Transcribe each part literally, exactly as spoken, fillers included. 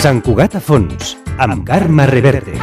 Sant Cugat a fons, amb Carme Reverte.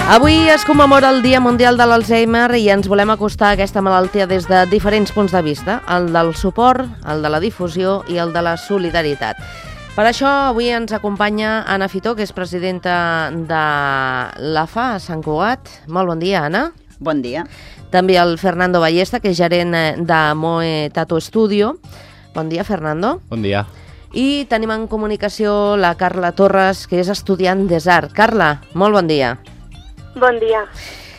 Avui es commemora el Dia Mundial de l'Alzheimer i ens volem acostar a aquesta malaltia des de diferents punts de vista, el del suport, el de la difusió i el de la solidaritat. Per això avui ens acompanya Anna Fitó, que és presidenta de l'A F A a Sant Cugat. Molt bon dia, Anna. Bon dia. També el Fernando Ballesta, que és gerent de Moe Tattoo Studio. Bon dia, Fernando. Bon dia. I tenim en comunicació la Carla Torres, que és estudiant d'Esart. Carla, molt bon dia. Bon dia.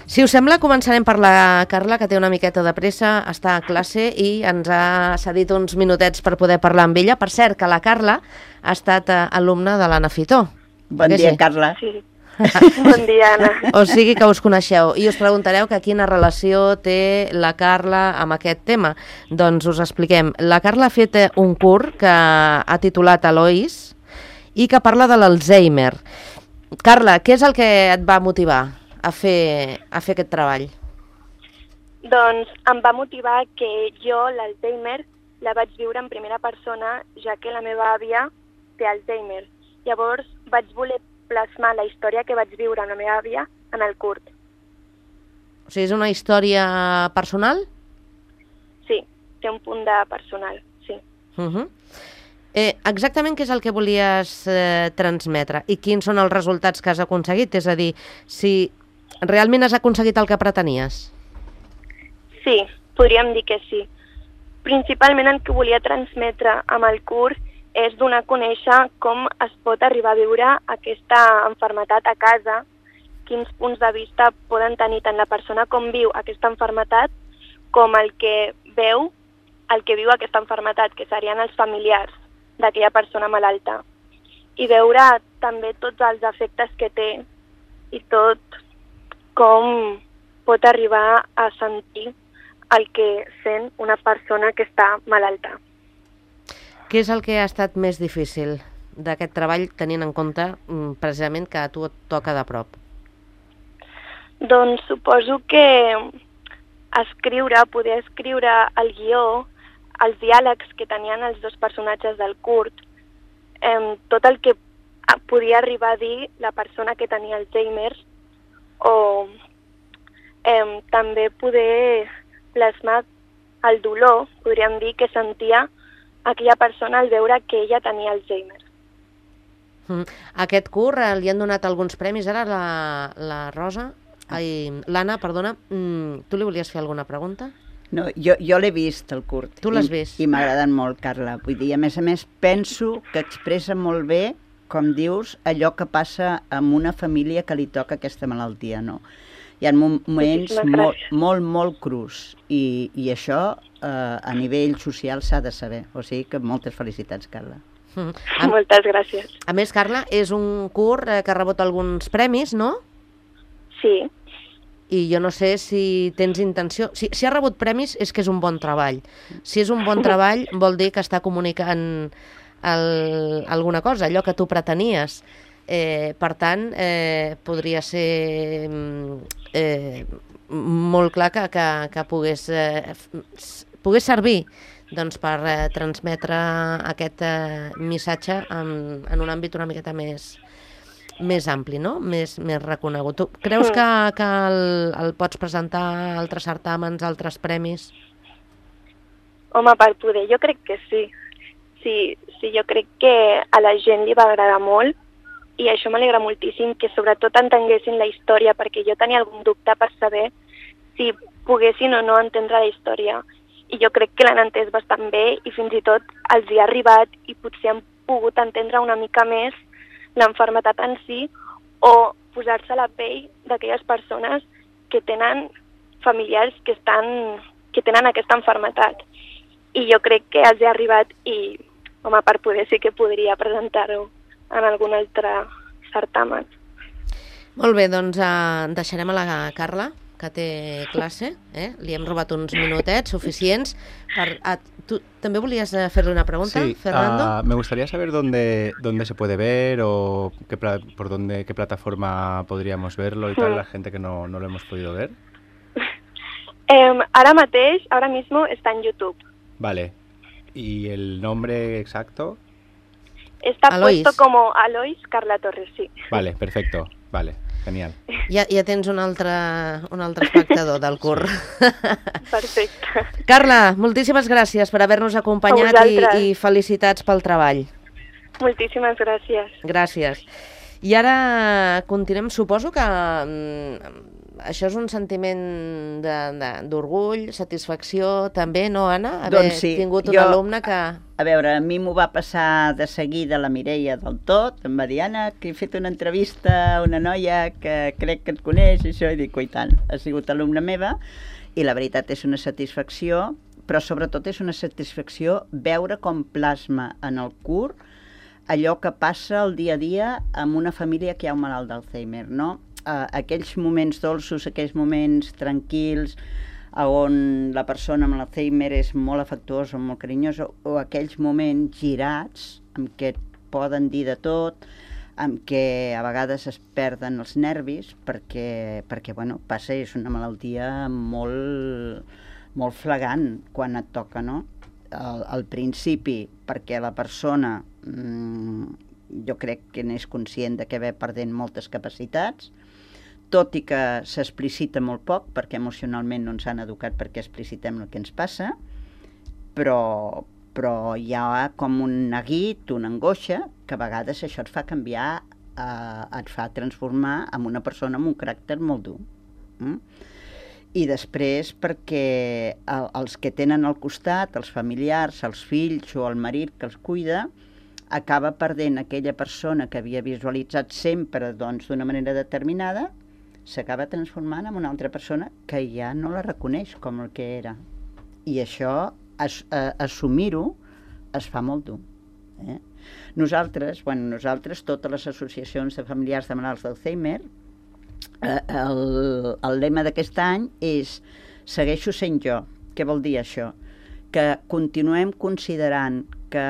Si us sembla, començarem per la Carla, que té una miqueta de pressa, està a classe i ens ha cedit uns minutets per poder parlar amb ella. Per cert, que la Carla ha estat alumna de l'Anna Fitó. Bon dia, Carla. Sí. Bon dia, Anna. O sigui que us coneixeu. I us preguntareu que quina relació té la Carla amb aquest tema. Doncs us expliquem. La Carla ha fet un curs que ha titulat Eloís i que parla de l'Alzheimer. Carla, què és el que et va motivar a fer, a fer aquest treball? Doncs em va motivar que jo l'Alzheimer la vaig viure en primera persona, ja que la meva àvia té Alzheimer. Llavors vaig voler plasmar la història que vaig viure amb la meva àvia en el curt. O sigui, és una història personal? Sí, té un punt de personal, sí. Uh-huh. Eh, exactament què és el que volies eh, transmetre i quins són els resultats que has aconseguit? És a dir, si realment has aconseguit el que pretenies? Sí, podríem dir que sí. Principalment el que volia transmetre amb el curs és donar a conèixer com es pot arribar a viure aquesta malaltia a casa, quins punts de vista poden tenir tant la persona com viu aquesta malaltia com el que veu, el que viu aquesta malaltia, que serien els familiars d'aquella persona malalta, i veure també tots els efectes que té i tot com pot arribar a sentir el que sent una persona que està malalta. Què és el que ha estat més difícil d'aquest treball, tenint en compte precisament que a tu et toca de prop? Doncs suposo que escriure, poder escriure el guió, els diàlegs que tenien els dos personatges del curt, eh, tot el que podia arribar a dir la persona que tenia Alzheimer, o eh, també poder plasmar el dolor, podríem dir, que sentia aquella persona al veure que ella tenia Alzheimer. Mm. Aquest curt eh, li han donat alguns premis. Ara la, la Rosa, ai, l'Anna, perdona, mm, tu li volies fer alguna pregunta? No, jo, jo l'he vist, el curt. Tu l'has i, vist? I m'ha agradat molt, Carla. Vull dir, a més a més, penso que expressa molt bé, com dius, allò que passa amb una família que li toca aquesta malaltia, no? Hi ha moments molt, molt, molt crus i, i això eh, a nivell social s'ha de saber. O sigui que moltes felicitats, Carla. Mm. A, Moltes gràcies. A més, Carla, és un curt eh, que ha rebut alguns premis, no? Sí. I jo no sé si tens intenció... Si, si ha rebut premis és que és un bon treball. Si és un bon treball vol dir que està comunicant el, alguna cosa, allò que tu pretenies. Eh, per tant, eh, podria ser eh, molt clar que, que, que pogués, eh, pogués servir doncs, per eh, transmetre aquest eh, missatge en, en un àmbit una miqueta més... més ampli, no? Més, més reconegut. Tu creus que, que el, el pots presentar a altres certàmens, a altres premis? Home, per poder, jo crec que sí. Sí, sí, jo crec que a la gent li va agradar molt i això m'alegra moltíssim, que sobretot entenguessin la història, perquè jo tenia algun dubte per saber si poguessin o no entendre la història. I jo crec que l'han entès bastant bé i fins i tot els hi ha arribat i potser han pogut entendre una mica més l'enfermetat en si o posar-se a la pell d'aquelles persones que tenen familiars que, estan, que tenen aquesta enfermetat. I jo crec que els ha arribat i, home, per poder sí que podria presentar-ho en algun altre certamen. Molt bé, doncs eh, deixarem a la Carla, que té classe, eh? Li hem robat uns minutets suficients. Per, a, ¿tú també volies fer-li una pregunta, sí, Fernando? Uh, me gustaría saber dónde, dónde se puede ver o qué, por dónde, qué plataforma podríamos verlo y tal, la gente que no, no lo hemos podido ver. Eh, ara mateix, ahora mismo, está en YouTube. Vale. ¿Y el nombre exacto? Está Alois. puesto como Alois Carla Torres, sí. Vale, perfecto. Vale, genial. Ja, ja tens un altre, un altre espectador del cur. Perfecte. Carla, moltíssimes gràcies per haver-nos acompanyat i, i felicitats pel treball. Moltíssimes gràcies. Gràcies. I ara continuem, suposo que mm, això és un sentiment d'orgull, satisfacció també, no, Anna? Haver doncs sí, tingut un jo, alumne que... A veure, a mi m'ho va passar de seguida la Mireia del tot, em va dir, Anna, que he fet una entrevista a una noia que crec que et coneix, i això, i dic, oi tant, ha sigut alumna meva, i la veritat és una satisfacció, però sobretot és una satisfacció veure com plasma en el cur allò que passa el dia a dia amb una família que hi ha un malalt d'Alzheimer, no? Uh, aquells moments dolços, aquells moments tranquils, on la persona amb l'Alzheimer és molt afectuosa, molt carinyosa, o aquells moments girats, en què et poden dir de tot, en què a vegades es perden els nervis, perquè, perquè bueno, passa, és una malaltia molt, molt flagrant quan et toca, no? Al, al principi, perquè la persona, mmm, jo crec que n'és conscient de que ve perdent moltes capacitats, tot i que s'explicita molt poc, perquè emocionalment no ens han educat perquè explicitem el que ens passa, però, però hi ha com un neguit, una angoixa, que a vegades això et fa canviar, eh, et fa transformar en una persona amb un caràcter molt dur. Mm? I després perquè el, els que tenen al costat, els familiars, els fills o el marit que els cuida, acaba perdent aquella persona que havia visualitzat sempre doncs, d'una manera determinada, s'acaba transformant en una altra persona que ja no la reconeix com el que era. I això, as, a, assumir-ho, es fa molt dur. Eh? Nosaltres, bueno, nosaltres, totes les associacions de familiars de malalts d'Alzheimer, eh, el, el lema d'aquest any és segueixo sent jo. Què vol dir això? Que continuem considerant que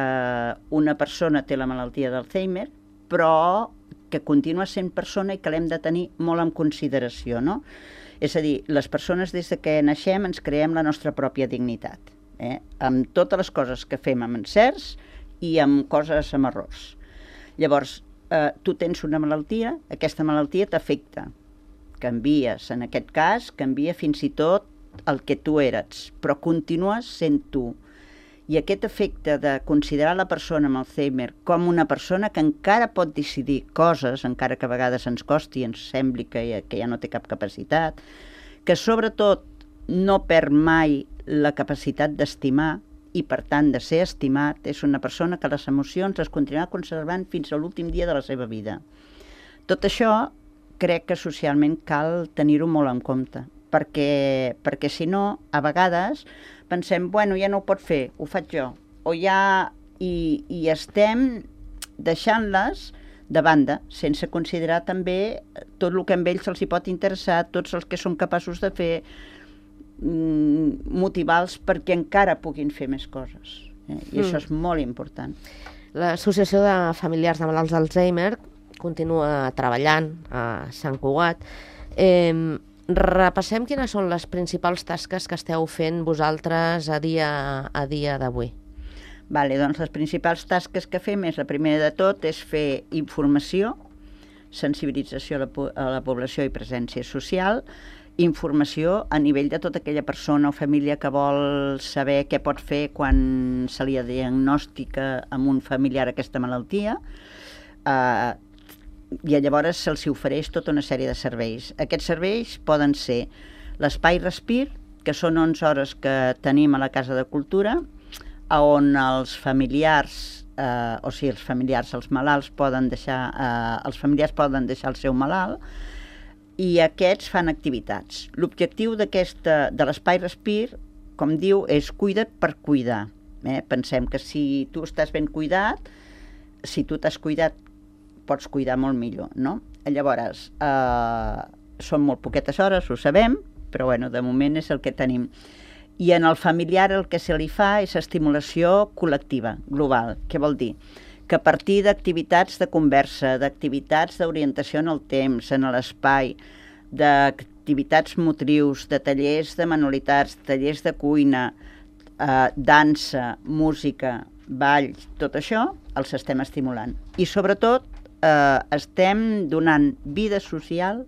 una persona té la malaltia d'Alzheimer, però que continua sent persona i que l'hem de tenir molt en consideració, no? És a dir, les persones des de que naixem ens creem la nostra pròpia dignitat, eh? Amb totes les coses que fem amb encerts i amb coses amb errors. Llavors, eh, tu tens una malaltia, aquesta malaltia t'afecta, canvies, en aquest cas, canvia fins i tot el que tu eres, però continues sent tu. I aquest efecte de considerar la persona amb Alzheimer com una persona que encara pot decidir coses, encara que a vegades ens costi, ens sembli que ja, que ja no té cap capacitat, que sobretot no perd mai la capacitat d'estimar i per tant de ser estimat, és una persona que les emocions les continuarà conservant fins a l'últim dia de la seva vida. Tot això crec que socialment cal tenir-ho molt en compte, perquè, perquè si no, a vegades pensem, bueno, ja no ho pot fer, ho faig jo, o ja... I, i estem deixant-les de banda, sense considerar també tot el que amb ells els hi pot interessar, tots els que som capaços de fer, motivar-los perquè encara puguin fer més coses. Eh? I mm. això és molt important. L'Associació de Familiars de Malalts d'Alzheimer continua treballant a Sant Cugat. Eh, repassem quines són les principals tasques que esteu fent vosaltres a dia, a dia d'avui. Vale, doncs les principals tasques que fem és, la primera de tot, és fer informació, sensibilització a la, a la població i presència social, informació a nivell de tota aquella persona o família que vol saber què pot fer quan se li diagnostica amb un familiar aquesta malaltia, eh, i llavors se'ls ofereix tota una sèrie de serveis. Aquests serveis poden ser l'espai Respir, que són onze hores que tenim a la Casa de Cultura, on els familiars, eh, o sigui, els familiars, els malalts poden deixar, eh, els familiars poden deixar el seu malalt, i aquests fan activitats. L'objectiu d'aquesta, de l'espai Respir, com diu, és cuida't per cuidar. Eh? Pensem que si tu estàs ben cuidat, si tu t'has cuidat, pots cuidar molt millor, no? Llavors, eh, són molt poquetes hores, ho sabem, però bueno, de moment és el que tenim. I en el familiar el que se li fa és estimulació col·lectiva, global. Què vol dir? Que a partir d'activitats de conversa, d'activitats d'orientació en el temps, en l'espai, d'activitats motrius, de tallers de manualitats, tallers de cuina, eh, dansa, música, ball, tot això els estem estimulant. I sobretot eh, estem donant vida social,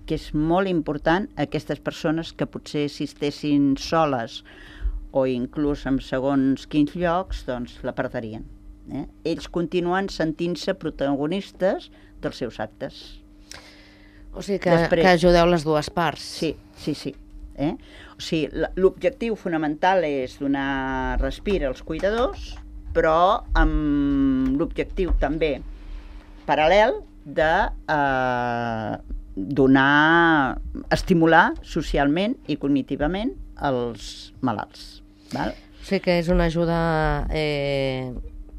que és molt important, a aquestes persones que potser si estessin soles o inclús en segons quins llocs, doncs la perdrien. Eh? Ells continuen sentint-se protagonistes dels seus actes. O sigui que, Després, que ajudeu les dues parts. Sí, sí, sí. Eh? O sigui, l'objectiu fonamental és donar respir als cuidadors, però amb l'objectiu també paral·lel de eh, donar, estimular socialment i cognitivament els malalts. Val? O sigui que és una ajuda eh,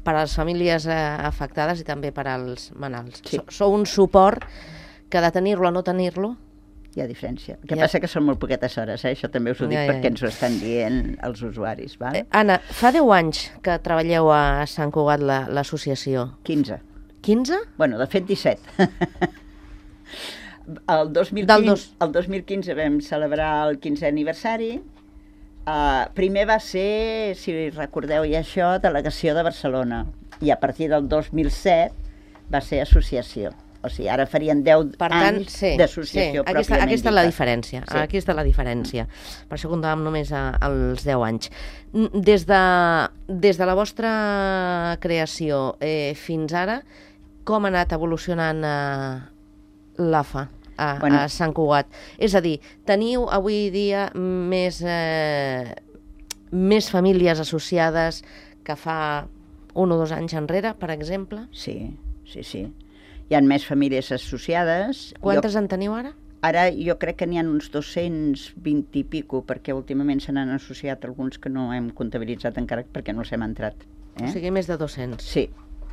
per a les famílies eh, afectades i també per als malalts. Sí. Sou un suport que de tenir-lo a no tenir-lo hi ha diferència. El que ja. passa que són molt poquetes hores, eh? Això també us ho dic ja, ja, ja. perquè ens ho estan dient els usuaris. Val? Eh, Anna, fa deu anys que treballeu a Sant Cugat l'associació. quinze. quinze? Bueno, de fet disset. El dos mil quinze, dos... el dos mil quinze vam celebrar el quinzè aniversari. Uh, primer va ser, si recordeu ja això, delegació de Barcelona. I a partir del dos mil set va ser associació. O sigui, ara farien deu per tant, anys sí, d'associació sí. Aquí està, aquí està la diferència. Sí. Aquí està la diferència. Per això comptàvem només a, als deu anys. Des de, des de la vostra creació eh, fins ara, com ha anat evolucionant eh, l'A F A a, bueno. a Sant Cugat? És a dir, teniu avui dia més, eh, més famílies associades que fa un o dos anys enrere, per exemple? Sí, sí, sí. Hi ha més famílies associades. Quantes jo, en teniu ara? Ara jo crec que n'hi ha uns dos-cents vint i pico, perquè últimament se n'han associat alguns que no hem comptabilitzat encara perquè no els hem entrat. Eh? O sigui, més de dos-cents. Sí.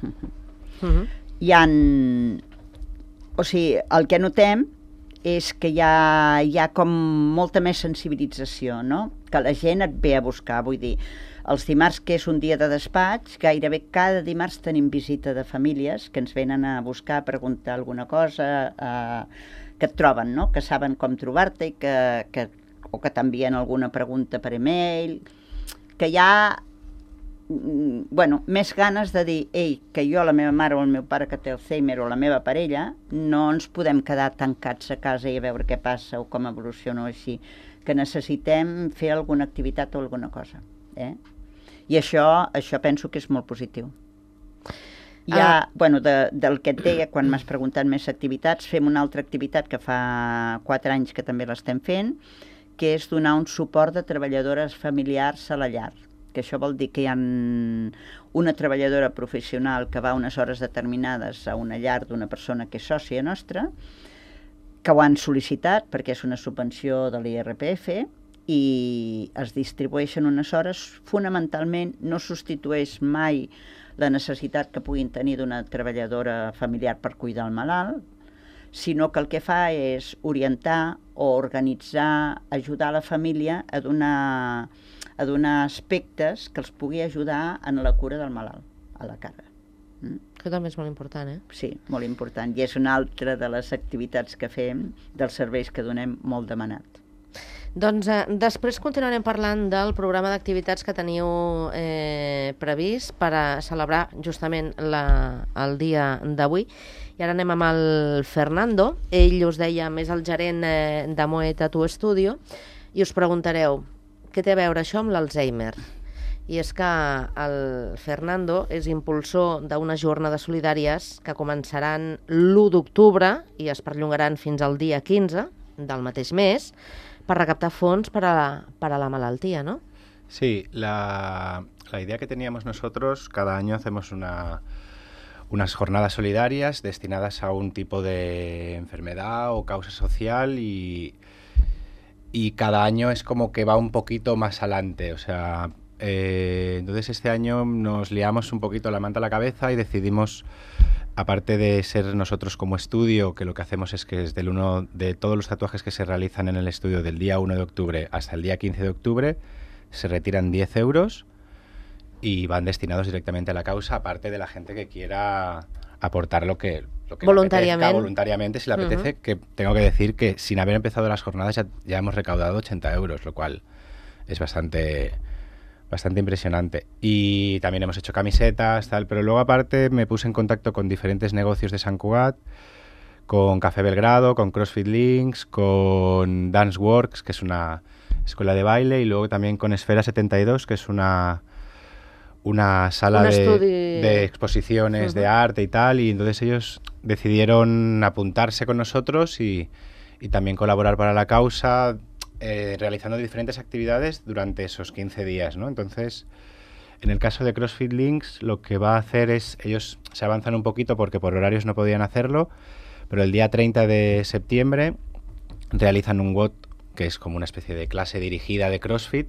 Uh-huh. Hi ha... O sigui, el que notem és que hi ha, hi ha com molta més sensibilització, no? Que la gent et ve a buscar, vull dir... Els dimarts, que és un dia de despatx, gairebé cada dimarts tenim visita de famílies que ens venen a buscar, a preguntar alguna cosa, eh, que et troben, no? Que saben com trobar-te i que, que, o que t'envien alguna pregunta per e-mail, que hi ha bueno, més ganes de dir ei, que jo, la meva mare o el meu pare que té Alzheimer o la meva parella, no ens podem quedar tancats a casa i a veure què passa o com evoluciona o així, que necessitem fer alguna activitat o alguna cosa. Eh? I això, això penso que és molt positiu. Hi ha, ah. bueno, de, del que et deia, quan m'has preguntat més activitats, fem una altra activitat que fa quatre anys que també l'estem fent, que és donar un suport de treballadores familiars a la llar. Que això vol dir que hi ha una treballadora professional que va unes hores determinades a una llar d'una persona que és sòcia nostra, que ho han sol·licitat perquè és una subvenció de l'I R P F, i es distribueixen unes hores, fonamentalment no substitueix mai la necessitat que puguin tenir d'una treballadora familiar per cuidar el malalt, sinó que el que fa és orientar o organitzar, ajudar la família a donar, a donar aspectes que els pugui ajudar en la cura del malalt, a la cara. Mm? Que també és molt important, eh? Sí, molt important, i és una altra de les activitats que fem, dels serveis que donem, molt demanat. Doncs eh, després continuarem parlant del programa d'activitats que teniu eh, previst per a celebrar justament la, el dia d'avui. I ara anem amb el Fernando. Ell, us deia, és el gerent eh, de Moe Tattoo Studio, i us preguntareu, què té a veure això amb l'Alzheimer? I és que el Fernando és impulsor d'unes jornades solidàries que començaran l'u d'octubre i es perllongaran fins al dia quinze del mateix mes, per recaptar fons per a, per a la malaltia, ¿no? Sí, la, la idea que teníamos nosotros, cada año hacemos una, unas jornadas solidarias destinadas a un tipo de enfermedad o causa social y, y cada año es como que va un poquito más adelante, o sea, eh, entonces este año nos liamos un poquito la manta a la cabeza y decidimos, aparte de ser nosotros como estudio, que lo que hacemos es que desde el uno de todos los tatuajes que se realizan en el estudio del día uno de octubre hasta el día quince de octubre, se retiran diez euros y van destinados directamente a la causa, aparte de la gente que quiera aportar lo que, lo que voluntariamente. Le apetezca, voluntariamente, si le apetece, uh-huh. que tengo que decir que sin haber empezado las jornadas ya, ya hemos recaudado ochenta euros, lo cual es bastante, bastante impresionante. Y también hemos hecho camisetas, tal, pero luego aparte me puse en contacto con diferentes negocios de Sant Cugat, con Café Belgrado, con CrossFit Links, con Dance Works, que es una escuela de baile, y luego también con Esfera setenta y dos, que es una, una sala Un de, estudi... de exposiciones uh-huh. de arte y tal, y entonces ellos decidieron apuntarse con nosotros y, y también colaborar para la causa, eh, realizando diferentes actividades durante esos quince días, ¿no? Entonces, en el caso de CrossFit Links, lo que va a hacer es, ellos se avanzan un poquito porque por horarios no podían hacerlo, pero el día treinta de septiembre realizan un W O D, que es como una especie de clase dirigida de CrossFit,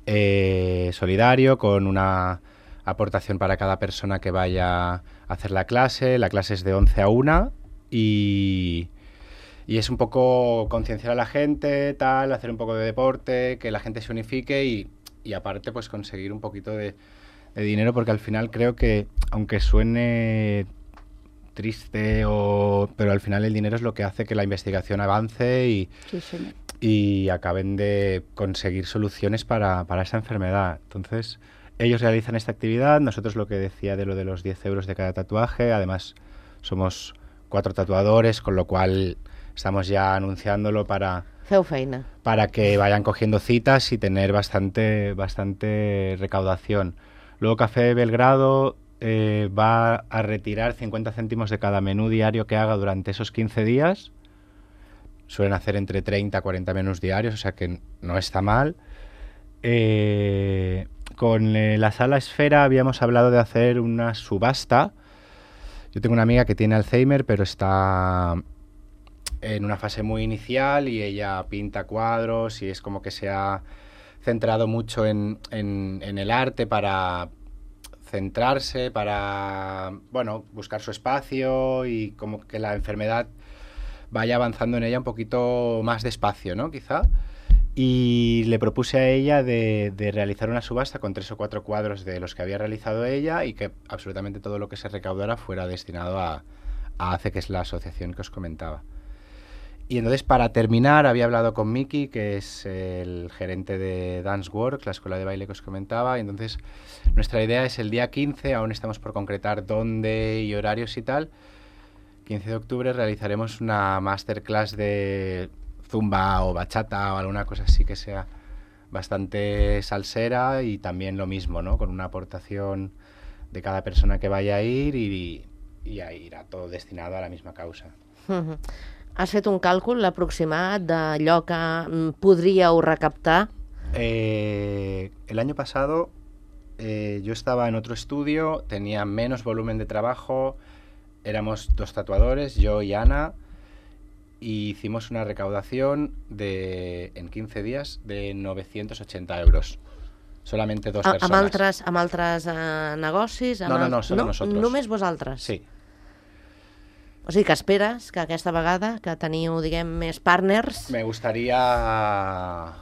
eh, solidario, con una aportación para cada persona que vaya a hacer la clase. La clase es de once a una y, y es un poco concienciar a la gente, tal, hacer un poco de deporte, que la gente se unifique y, y aparte pues conseguir un poquito de, de dinero, porque al final creo que, aunque suene triste, o, pero al final el dinero es lo que hace que la investigación avance y, sí, señor. y acaben de conseguir soluciones para, para esa enfermedad. Entonces, ellos realizan esta actividad, nosotros lo que decía de lo de los diez euros de cada tatuaje, además somos cuatro tatuadores, con lo cual estamos ya anunciándolo para, Feu feina. para que vayan cogiendo citas y tener bastante, bastante recaudación. Luego Café Belgrado Eh, va a retirar cincuenta céntimos de cada menú diario que haga durante esos quince días. Suelen hacer entre treinta a cuarenta menús diarios, o sea que no está mal. Eh, con eh, la Sala Esfera habíamos hablado de hacer una subasta. Yo tengo una amiga que tiene Alzheimer, pero está en una fase muy inicial y ella pinta cuadros y es como que se ha centrado mucho en, en, en el arte para centrarse, para, bueno, buscar su espacio y como que la enfermedad vaya avanzando en ella un poquito más despacio, ¿no? Quizá. Y le propuse a ella de, de realizar una subasta con tres o cuatro cuadros de los que había realizado ella y que absolutamente todo lo que se recaudara fuera destinado a, a A C E, que es la asociación que os comentaba. Y entonces, para terminar, había hablado con Miki, que es el gerente de Dance Works, la escuela de baile que os comentaba, y entonces nuestra idea es el día quince, aún estamos por concretar dónde y horarios y tal. quince de octubre realizaremos una masterclass de zumba o bachata o alguna cosa así que sea bastante salsera y también lo mismo, ¿no? Con una aportación de cada persona que vaya a ir y, y a ir a todo destinado a la misma causa. Uh-huh. Has fet un càlcul aproximat d'allò que podríeu recaptar? Eh, el año pasado eh, yo estaba en otro estudio, tenía menos volumen de trabajo, éramos dos tatuadores, yo y Ana, y hicimos una recaudación de en quince días de novecientos ochenta euros. Solamente dos a, personas. Amb altres, amb altres uh, negocis? Amb no, no, no, solo no, nosotros. Només vosaltres? Sí. O sigui que esperes que aquesta vegada, que teniu, diguem, més partners... Me gustaría...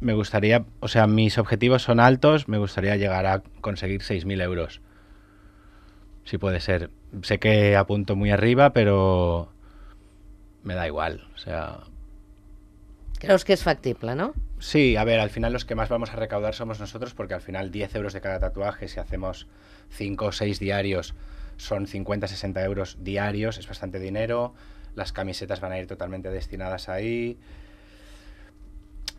Me gustaría... O sea, mis objetivos son altos, me gustaría llegar a conseguir seis mil euros. Si puede ser. Sé que apunto muy arriba, pero me da igual, o sea... Creus que es factible, ¿no? Sí, a ver, al final los que más vamos a recaudar somos nosotros, porque al final diez euros de cada tatuaje, si hacemos cinco o seis diarios, son cincuenta a sesenta euros diarios, es bastante dinero. Las camisetas van a ir totalmente destinadas ahí.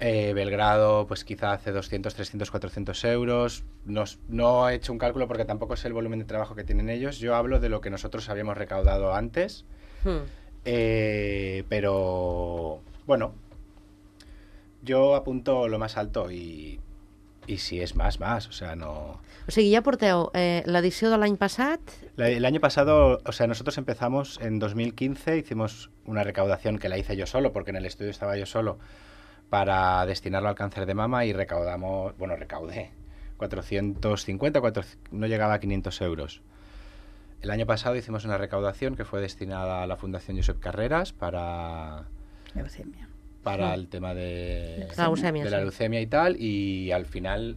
Eh, Belgrado, pues quizá hace doscientos, trescientos, cuatrocientos euros. No, no he hecho un cálculo porque tampoco sé el volumen de trabajo que tienen ellos. Yo hablo de lo que nosotros habíamos recaudado antes. Hmm. Eh, pero, bueno, yo apunto lo más alto y, y si es más, más, o sea, no... O sigui, ja porteu eh, l'edició de l'any passat... La- El año pasado, o sea, nosotros empezamos en dos mil quince, hicimos una recaudación que la hice yo solo, porque en el estudio estaba yo solo, para destinarlo al cáncer de mama y recaudamos, bueno, recaudé cuatrocientos cincuenta, cuatro, no llegaba a quinientos euros. El año pasado hicimos una recaudación que fue destinada a la Fundación Josep Carreras para, Leucemia. para Sí. el tema de La leucemia, de la sí. leucemia y tal, y al final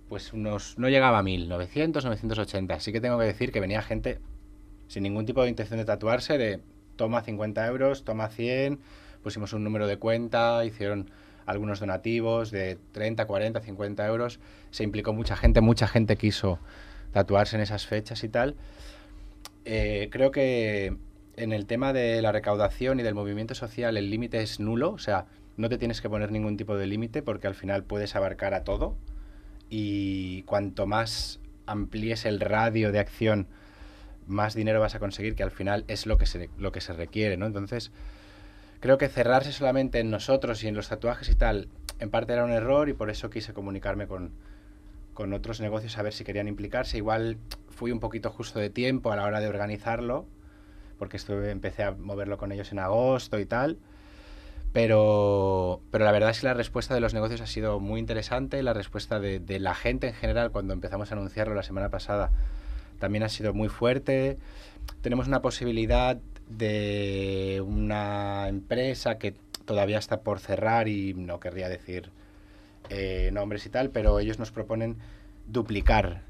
pues unos no llegaba a mil, novecientos, novecientos ochenta. Así que tengo que decir que venía gente sin ningún tipo de intención de tatuarse, de toma cincuenta euros, toma cien, pusimos un número de cuenta, hicieron algunos donativos de treinta, cuarenta, cincuenta euros, se implicó mucha gente, mucha gente quiso tatuarse en esas fechas y tal. Eh, creo que en el tema de la recaudación y del movimiento social el límite es nulo, o sea, no te tienes que poner ningún tipo de límite porque al final puedes abarcar a todo y cuanto más amplíes el radio de acción, más dinero vas a conseguir, que al final es lo que se, lo que se requiere, ¿no? Entonces, creo que cerrarse solamente en nosotros y en los tatuajes y tal, en parte era un error y por eso quise comunicarme con, con otros negocios a ver si querían implicarse. Igual fui un poquito justo de tiempo a la hora de organizarlo, porque estuve, empecé a moverlo con ellos en agosto y tal. Pero, pero la verdad es que la respuesta de los negocios ha sido muy interesante, la respuesta de, de la gente en general cuando empezamos a anunciarlo la semana pasada también ha sido muy fuerte. Tenemos una posibilidad de una empresa que todavía está por cerrar y no querría decir eh, nombres y tal, pero ellos nos proponen duplicar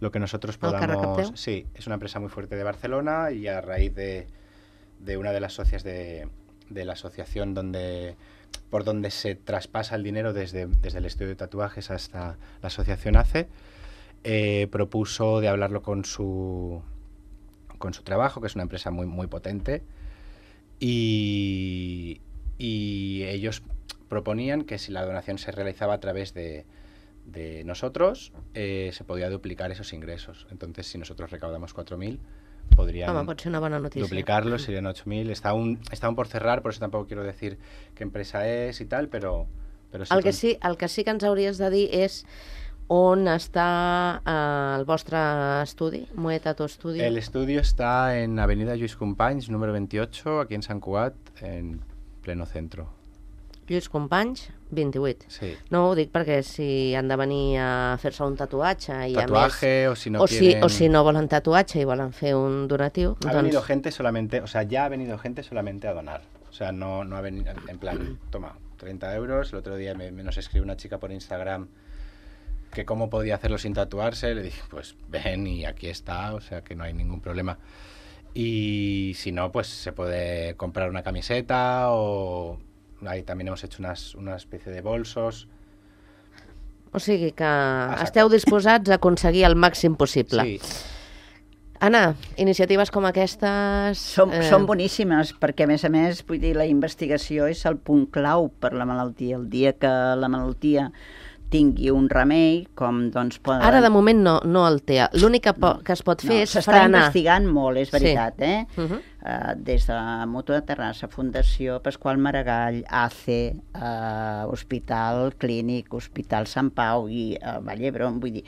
lo que nosotros El que podamos... recapteu. Sí, es una empresa muy fuerte de Barcelona y a raíz de, de una de las socias de... de la asociación donde por donde se traspasa el dinero desde, desde el estudio de tatuajes hasta la asociación A C E, eh, propuso de hablarlo con su con su trabajo, que es una empresa muy muy potente, y, y ellos proponían que si la donación se realizaba a través de, de nosotros, eh, se podía duplicar esos ingresos. Entonces, si nosotros recaudamos cuatro mil, podrían Home, pot ser una bona notícia. duplicarlo, serían ocho mil. Está aún, está aún por cerrar, por eso tampoco quiero decir qué empresa es y tal, pero, pero sí, El que con- sí, el que sí que ens hauries de dir és on està eh, el vostre estudi, Moe Tattoo Studio. El estudio está en Avenida Lluís Companys, número veintiocho, aquí en Sant Cugat, en pleno centro. Lluís Companys, vint-i-vuit. Sí. No ho dic perquè si han de venir a fer-se un tatuatge i Tatuaje, a més... o si no o, si, quieren... o si no volen tatuatge i volen fer un donatiu, Ha doncs... venido gente solamente, o sea, ya ha venido gente solamente a donar. O sea, no, no ha venido en plan, toma, treinta euros. El otro día me, me nos escribió una chica por Instagram que cómo podía hacerlo sin tatuarse. Le dije, pues ven y aquí está, o sea que no hay ningún problema. Y si no, pues se puede comprar una camiseta o... Ahí también hemos hecho unas, una especie de bolsos. O sigui que saco. esteu disposats a aconseguir el màxim possible. Sí, Anna, iniciatives com aquestes... Són, eh... són boníssimes, perquè a més a més, vull dir, la investigació és el punt clau per la malaltia. El dia que la malaltia tingui un remei, com doncs poden... Ara, de moment, no, no el té. L'únic que, po- que es pot fer no, és s'està frenar. investigant molt, és Sí. veritat, eh? Uh -huh. Uh, des de Mutu de Terrassa, Fundació Pasqual Maragall, A C E, uh, Hospital Clínic, Hospital Sant Pau i uh, Vall d'Hebron, vull dir,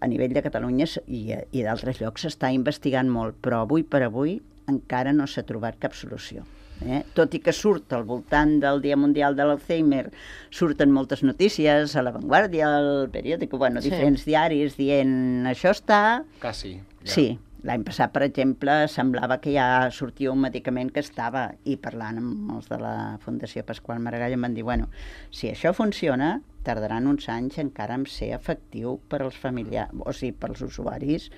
a nivell de Catalunya s- i, i d'altres llocs s'està investigant molt, però avui per avui encara no s'ha trobat cap solució. Eh? Tot i que surt al voltant del Dia Mundial de l'Alzheimer, surten moltes notícies a La Vanguardia, al periòdico, bueno, Sí. diferents diaris dient això està... casi. ya. Sí, l'any passat, per exemple, semblava que ja sortia un medicament que estava, i parlant amb els de la Fundació Pasqual Maragall em van dir, bueno, si això funciona, tardaran uns anys encara en ser efectiu per als familiars, o sigui, pels usuaris,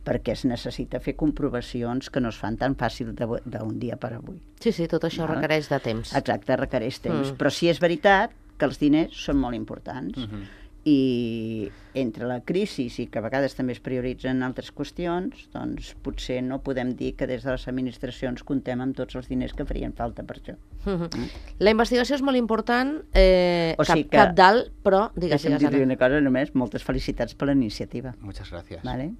perquè es necessita fer comprovacions que no es fan tan fàcil de- d'un dia per avui. Sí, sí, tot això Val. requereix de temps. Exacte, requereix temps. Mm. Però sí és veritat que els diners són molt importants. Ujú. I entre la crisi i que a vegades també es prioritzen altres qüestions, doncs potser no podem dir que des de les administracions comptem amb tots els diners que farien falta per això. Uh -huh. La investigació és molt important, eh, O cap, sigui que- cap dalt, però, digues, Deixa'm digues, dir-li Anna. una cosa només, moltes felicitats per la iniciativa. Muchas gracias. Vale?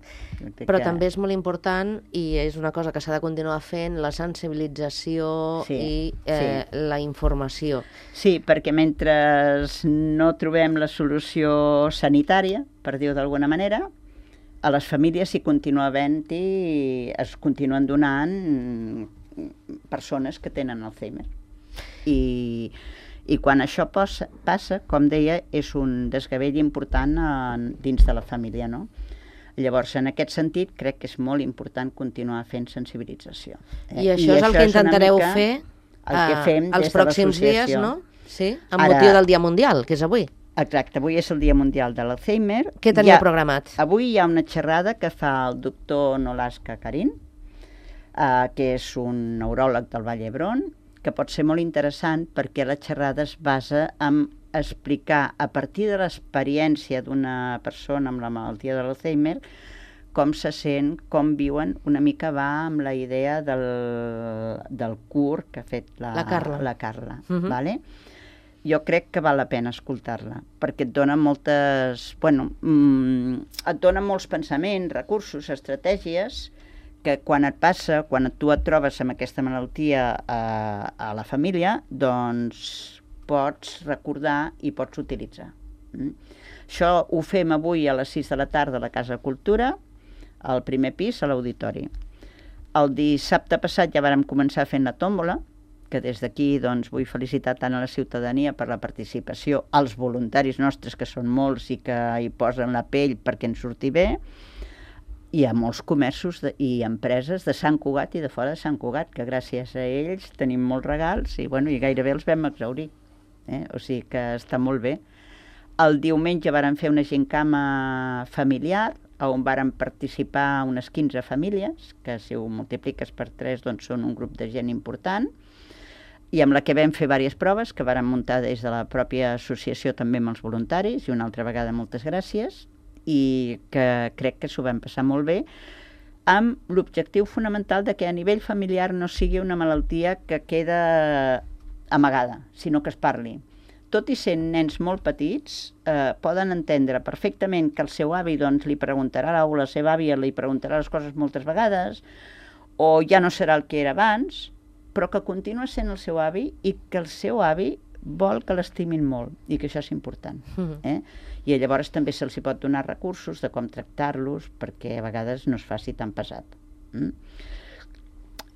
Però també és molt important, i és una cosa que s'ha de continuar fent, la sensibilització Sí, i eh, sí. la informació. Sí, perquè mentre no trobem la solució sanitària, per dir-ho d'alguna manera, a les famílies s'hi continua havent-hi, es continuen donant persones que tenen Alzheimer. I, i quan això passa, passa, com deia, és un desgavell important en, dins de la família, no? Llavors, en aquest sentit, crec que és molt important continuar fent sensibilització. Eh? I això I és el que intentareu fer el que fem els des de pròxims dies, l'associació. no? Sí, amb Ara- motiu del Dia Mundial, que és avui. Exacte, avui és el Dia Mundial de l'Alzheimer. Què teniu Hi ha- programat? Avui hi ha una xerrada que fa el doctor Nolasca Karin, eh, que és un neuròleg del Vall d'Hebron, que pot ser molt interessant perquè la xerrada es basa en explicar a partir de l'experiència d'una persona amb la malaltia de l'Alzheimer com se sent, com viuen, una mica va amb la idea del, del cur que ha fet la, La Carla. La Carla Mhm. vale? Jo crec que val la pena escoltar-la, perquè et dona moltes... Bueno, mm, et dona molts pensaments, recursos, estratègies, que quan et passa, quan tu et trobes amb aquesta malaltia a, a la família, doncs pots recordar i pots utilitzar. Mm? Això ho fem avui a les sis de la tarda a la Casa de Cultura, al primer pis, a l'auditori. El dissabte passat ja vàrem començar fent la tòmbola, que des d'aquí doncs, vull felicitar tant a la ciutadania per la participació, als voluntaris nostres, que són molts i que hi posen la pell perquè ens surti bé, i a molts comerços de, i empreses de Sant Cugat i de fora de Sant Cugat, que gràcies a ells tenim molts regals i, bueno, i gairebé els vam exhaurir. Eh? O sigui que està molt bé. El diumenge vàrem fer una gincama familiar, on vàrem participar unes quinze famílies, que si ho multipliques per tres doncs són un grup de gent important, i amb la que vam fer diverses proves que vàrem muntar des de la pròpia associació també amb els voluntaris, i una altra vegada moltes gràcies, i que crec que s'ho vam passar molt bé, amb l'objectiu fonamental de que a nivell familiar no sigui una malaltia que queda amagada, sinó que es parli. Tot i sent nens molt petits, eh, poden entendre perfectament que el seu avi doncs, li preguntarà, o la seva àvia li preguntarà les coses moltes vegades, o ja no serà el que era abans, però que continua sent el seu avi i que el seu avi vol que l'estimin molt i que això és important. Mhm. Eh? I llavors també se'ls hi pot donar recursos de com tractar-los perquè a vegades no es faci tan pesat. Mm?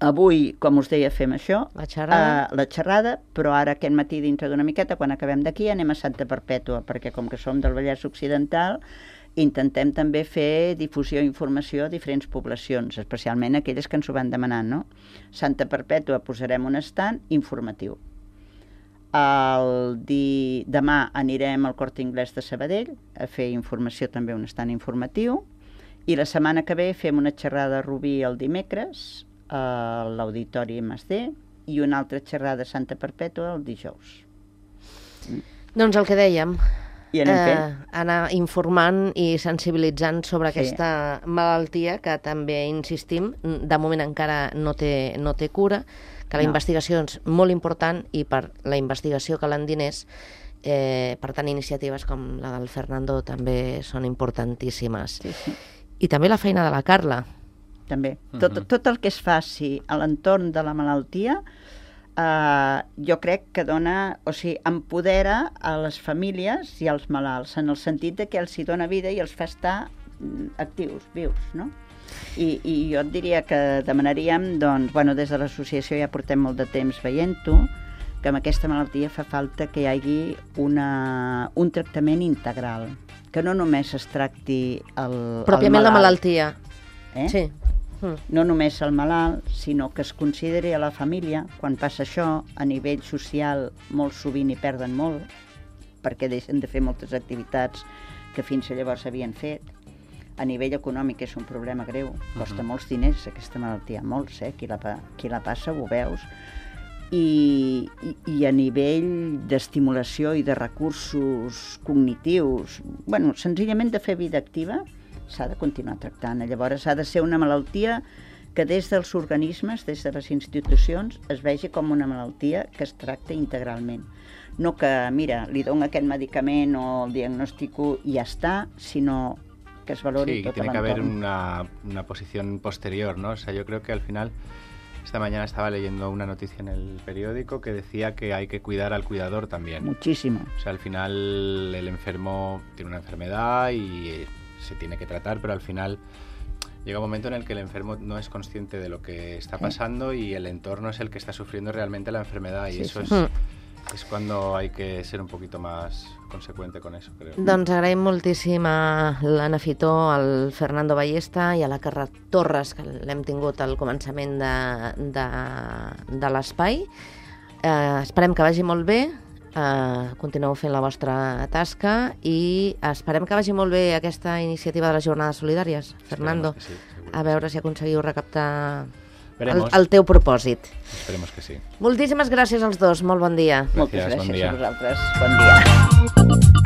Avui, com us deia, fem això, La xerrada. Uh, la xerrada, però ara aquest matí dintre d'una miqueta, quan acabem d'aquí, anem a Santa Perpètua, perquè com que som del Vallès Occidental, intentem també fer difusió i informació a diferents poblacions, especialment aquelles que ens ho van demanant, no? Santa Perpètua posarem un estand informatiu. El di... Demà anirem al Corte Inglés de Sabadell a fer informació, també un estand informatiu, i la setmana que ve fem una xerrada a Rubí el dimecres, a l'Auditori M S D, i una altra xerrada a Santa Perpètua el dijous. Doncs el que dèiem, I anem eh, fent. anar informant i sensibilitzant sobre Sí. aquesta malaltia que també insistim, de moment encara no té, no té cura, que la No. investigació és molt important i per la investigació calen diners, eh, per tant iniciatives com la del Fernando també són importantíssimes. Sí, sí. I també la feina de la Carla. També. Tot, Mhm. tot el que es faci a l'entorn de la malaltia eh, jo crec que dona, o sigui, empodera a les famílies i als malalts, en el sentit de que els hi dona vida i els fa estar mm, actius, vius, no? I, i jo et diria que demanaríem, doncs, bueno, des de l'associació ja portem molt de temps veient-ho, que amb aquesta malaltia fa falta que hi hagi una, un tractament integral, que no només es tracti el, Pròpiament el la malalt, malaltia. eh? Sí. Mm. No només el malalt, sinó que es consideri a la família, quan passa això, a nivell social molt sovint hi perden molt, perquè deixen de fer moltes activitats que fins a llavors havien fet. A nivell econòmic és un problema greu, costa uh-huh. molts diners aquesta malaltia, molts, eh? Qui la, qui la passa ho veus. I, i, i a nivell d'estimulació i de recursos cognitius, bueno, senzillament de fer vida activa, s'ha de continuar tractant. Llavors ha de ser una malaltia que des dels organismes, des de les institucions, es vegi com una malaltia que es tracta integralment. no que, mira, li dono aquest medicament o el diagnostico i ja està, sinó que es valori sí, tot tiene que haber l'entorn. una, una posición posterior, ¿no? O sea, yo creo que al final, esta mañana estaba leyendo una noticia en el periódico que decía que hay que cuidar al cuidador también. Muchísimo. O sea, al final el enfermo tiene una enfermedad y se tiene que tratar, pero al final llega un momento en el que el enfermo no es consciente de lo que está pasando y el entorno es el que está sufriendo realmente la enfermedad y Sí, eso sí. es, es cuando hay que ser un poquito más consecuente con eso, creo. Doncs agraïm moltíssim a l'Anna Fitó, al Fernando Ballesta i a la Carla Torres, que l'hem tingut al començament de, de, de l'espai. Eh, esperem que vagi molt bé, eh, continueu fent la vostra tasca i esperem que vagi molt bé aquesta iniciativa de les jornades solidàries, Fernando. Esperemos que sí, seguro. A veure si aconseguiu recaptar el, Veremos. el teu propòsit. Esperemos que sí. Moltíssimes gràcies als dos, molt bon dia. Moltes Gràcies, bon gràcies dia. a vosaltres. Bon dia.